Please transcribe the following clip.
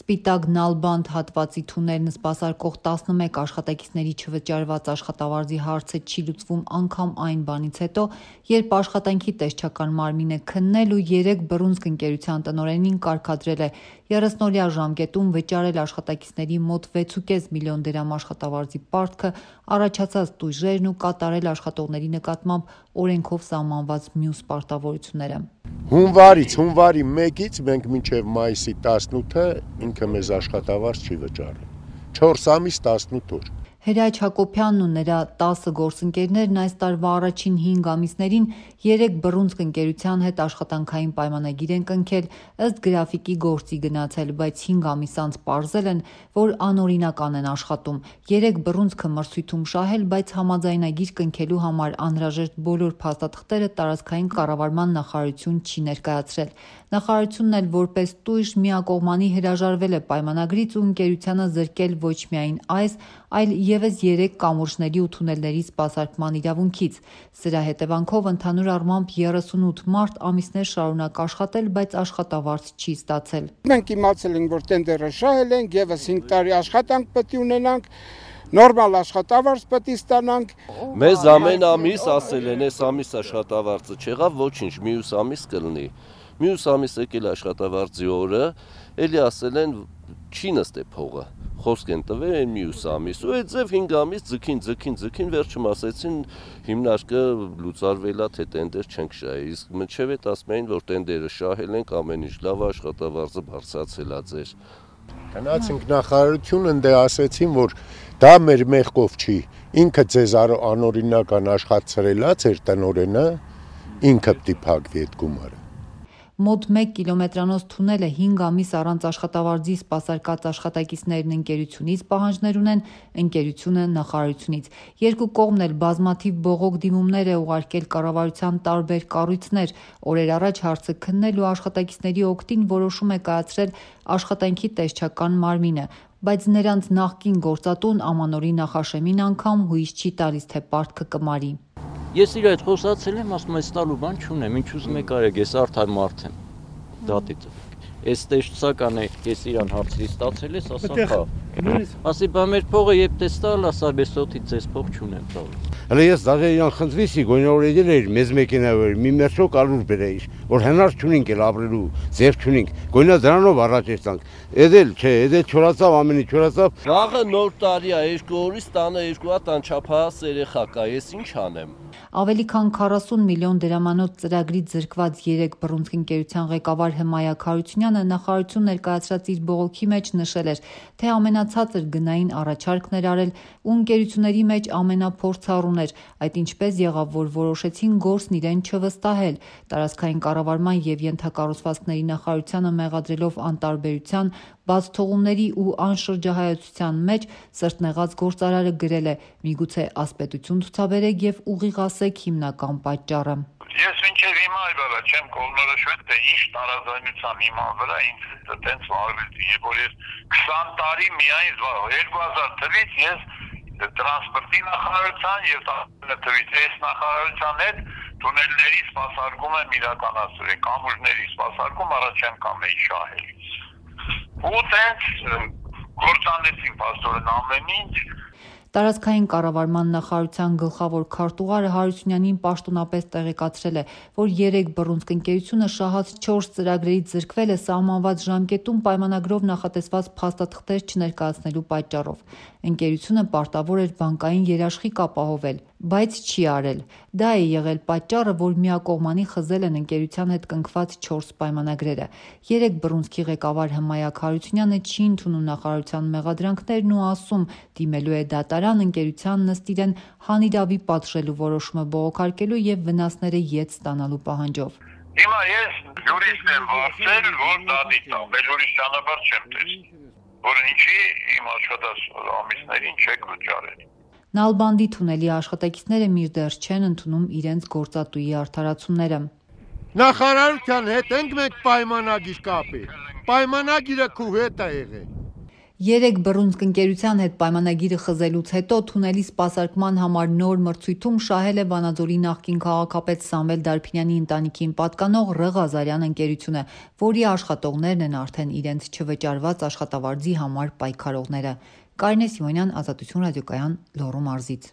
Սպիտակ Նալբանդ հատվածի թունելն սպասարկող 11 աշխատակիցների չվճարված աշխատավարձի հարցը չի լուծվում անգամ այն բանից հետո, երբ աշխատանքի տեսչական մարմինը քննել ու 3 բռունցք ընկերության տնօրենին կարգադրել է 30-օրյա ժամկետում վճարել աշխատակիցների մոտ 6.5 միլիոն դրամ աշխատավարձի պարտքը, առաջացած տույժերն ու կատարել աշխատողների նկատմամբ օրենքով սահմանված մյուս պարտավորությունները։ Հունվարի 1-ից մենք մինչև մայիսի 18-ը ինքը մեզ աշխատավարձ չի վճարել։ 4 ամիս 18 օր։ Հրաչ Հակոբյանն ու նրա 10 գործընկերներն այս տարվա առաջին 5 ամիսներին 3 բռունցք ընկերության հետ աշխատանքային պայմանագիր են կնքել, ըստ գրաֆիկի գործի գնացել, բայց 5 ամիս անց պարզել են, որ անօրինական են աշխատում։ 3 բռունցքը մրցույթում շահել, բայց համաձայնագիր կնքելու համար անհրաժեշտ բոլոր փաստաթղթերը տարածքային կառավարման նախարարություն չի ներկայացրել։ Նախարարությունն էլ որպես տույժ միակողմանի հրաժարվել է պայմանագրից ու ընկերությանը զրկել ոչ միայն այս, այլ ևս 3 կամուրջների ու թունելների սպասարկման իրավունքից։ Սրա հետևանքով ընդհանուր առմամբ 38 մարդ ամիսներ շարունակ աշխատել, բայց աշխատավարձ չի ստացել։ Մենք իմացել ենք, որ տենդերը շահել ենք, ևս 5 տարի աշխատանք պետք է ունենանք, նորմալ աշխատավարձ պետք է ստանանք։ Մեզ ամեն ամիս ասել են, այս ամիս աշխատավարձը չեղավ, ոչինչ, մյուս ամիս կլինի։ Մյուս ամիս եկել աշխատավարձի օրը, էլի ասել են չի նստե փողը, խոսք են տվել են մյուս ամիս, ու այդ ձև 5 ամիս ձգին, վերջում ասեցին հիմնարկը լուծարվելա, թե տենդեր չենք շահել, իսկ մինչև այդ ասում էին, որ տենդերը շահել ենք, ամեն ինչ լավ, աշխատավարձը բարձրացել է ձեր։ Գնացինք նախարարություն, ընդ ասեցին, որ դա մեր մեղքով չի, ինքը ձեզ անօրինական աշխատացրել է, ձեր տնօրենը, ինքը պիտի փակվի այդ գումարը։ Մոտ 1 կիլոմետրանոց թունելը 5 ամիս առանց աշխատավարձի սպասարկած աշխատակիցներն ընկերությունից պահանջներ ունեն, ընկերությունը նախարարությունից։ Երկու կողմն էլ բազմաթիվ բողոք դիմումներ է ուղարկել կառավարության տարբեր կառույցներ։ Օրեր առաջ հարցը քննել ու աշխատակիցների օգտին որոշում է կայացրել աշխատանքի տեսչական մարմինը, բայց նրանց նախկին գործատուն Ամանորի նախաշեմին անգամ հույս չի տալիս, թե պարտքը կմարի։ Ես իր այդ խոսացել եմ, ասում այս տալու բան չունեմ, ինչ ուզում եք արեք, ես արդար մարդ եմ, դատի ծվեք։ Այս տեսչական է, ես իրան հարցրի ստացել ես, ասա խա։ Ասի բա մեր փողը երբ տեստալ, ասա բեսոտից ձեզ փող չունեմ տալու։ Հələ ես դաժե իրան խնդրեցի, գոնորեդել էր մեզ մեքենայով, մի մերժո կարուր բերեիր, որ հնար չունենք էլ ապրելու, ձև չունենք, գոնա դրանով առաջ եստանք։ Էդել չէ, էդել չորացավ, ամենի չորացավ։ Վաղը նոր տարի է, 2 օրից տանը 2 հատ անչափահաս երեխա կա, ես ինչ անեմ։ Ավելի քան 40 միլիոն դրամանոց ծրագրից զրկված 3 բռունցք ընկերության ղեկավար Հմայակ Հարությունյանը նախարարություն ներկայացրած իր բողոքի մեջ նշել էր, թե ամենացածր գնային առաջարկն էր արել ու ընկերությունների մեջ ամենափորձառուն էր, այդ ինչպես եղավ, որ որոշեցին գործն իրեն չվստահել։ Տարածքային կառավարման և ենթակառուցվածքների նախարարությանը մեղադրելով անտարբերության, բացթողումների ու անշրջահայացության մեջ սրտնեղած գործարարը գրել է՝ միգուցե ասպետություն ցուցաբերեք և ուղիղ ասեք հիմնական պատճառը։ Ես մինչև հիմա այլևս չեմ կողմնորոշվել, թե ինչ տարաձայնության հիման վրա ինձ այդպես վարվեցի, եւ որ ես 20 տարի միայն 2000 թվականից ես տրանսպորտի նախարարության եւ թվականից այս նախարարության հետ թունելների սպասարկում եմ իրականացրել, կամուրջների սպասարկում առաջ եմ կամեի շահելիս։ Ու տենց գործանեցին պաստորեն ամեն ինչ։ Տարածքային կառավարման նախարարության գլխավոր քարտուղարը Հարությունյանին պաշտոնապես տեղեկացրել է, որ 3 բռունցք ընկերությունը շահած 4 ծրագրերից զրկվել է սահմանված ժամկետում պայմանագրով նախատեսված փաստաթղթեր չներկայացնելու պատճառով։ Ընկերությունը պարտավոր էր բանկային երաշխիք ապահովել, բայց չի արել։ Դա է եղել պատճառը, որ միակողմանի խզել են ընկերության հետ կնքված 4 պայմանագրերը։ 3 բռունցքի ղեկավար Հմայակ Հարությունյանը չի ընդունում նախարարության մեղադրանքներն ու ասում՝ դիմելու է դատարան ընկերությանն ըստ իրեն հանիրավի պատժելու որոշումը բողոքարկելու եւ վնասները ետ ստանալու պահանջով։ Հիմա ես յուրիստ եմ վարձել, որ դատի տամ, բայց ուրիշ ճանապարհ չեմ տեսել, որ ինչի իմ աշխատած ամիսներին չեք վճարել։ Նալբանդի թունելի աշխատակիցները մինչդեռ չեն ընդունում իրենց գործատուի արդարացումները։ Նախարարության հետ ենք մենք պայմանագիր կապել։ Պայմանագիրը քու հետ է եղել։ 3 բռունցք ընկերության հետ պայմանագիրը խզելուց հետո թունելի սպասարկման համար նոր մրցույթում շահել է Վանաձորի նախկին քաղաքապետ Սամվել Դարփինյանի ընտանիքին պատկանող Ռ. Ղազարյան ընկերությունը, որի աշխատողներն են արդեն իրենց չվճարված աշխատավարձի համար պայքարողները։ Կարինե Սիմոնյան, Ազատություն ռադիոկայան, Լոռու մարզից։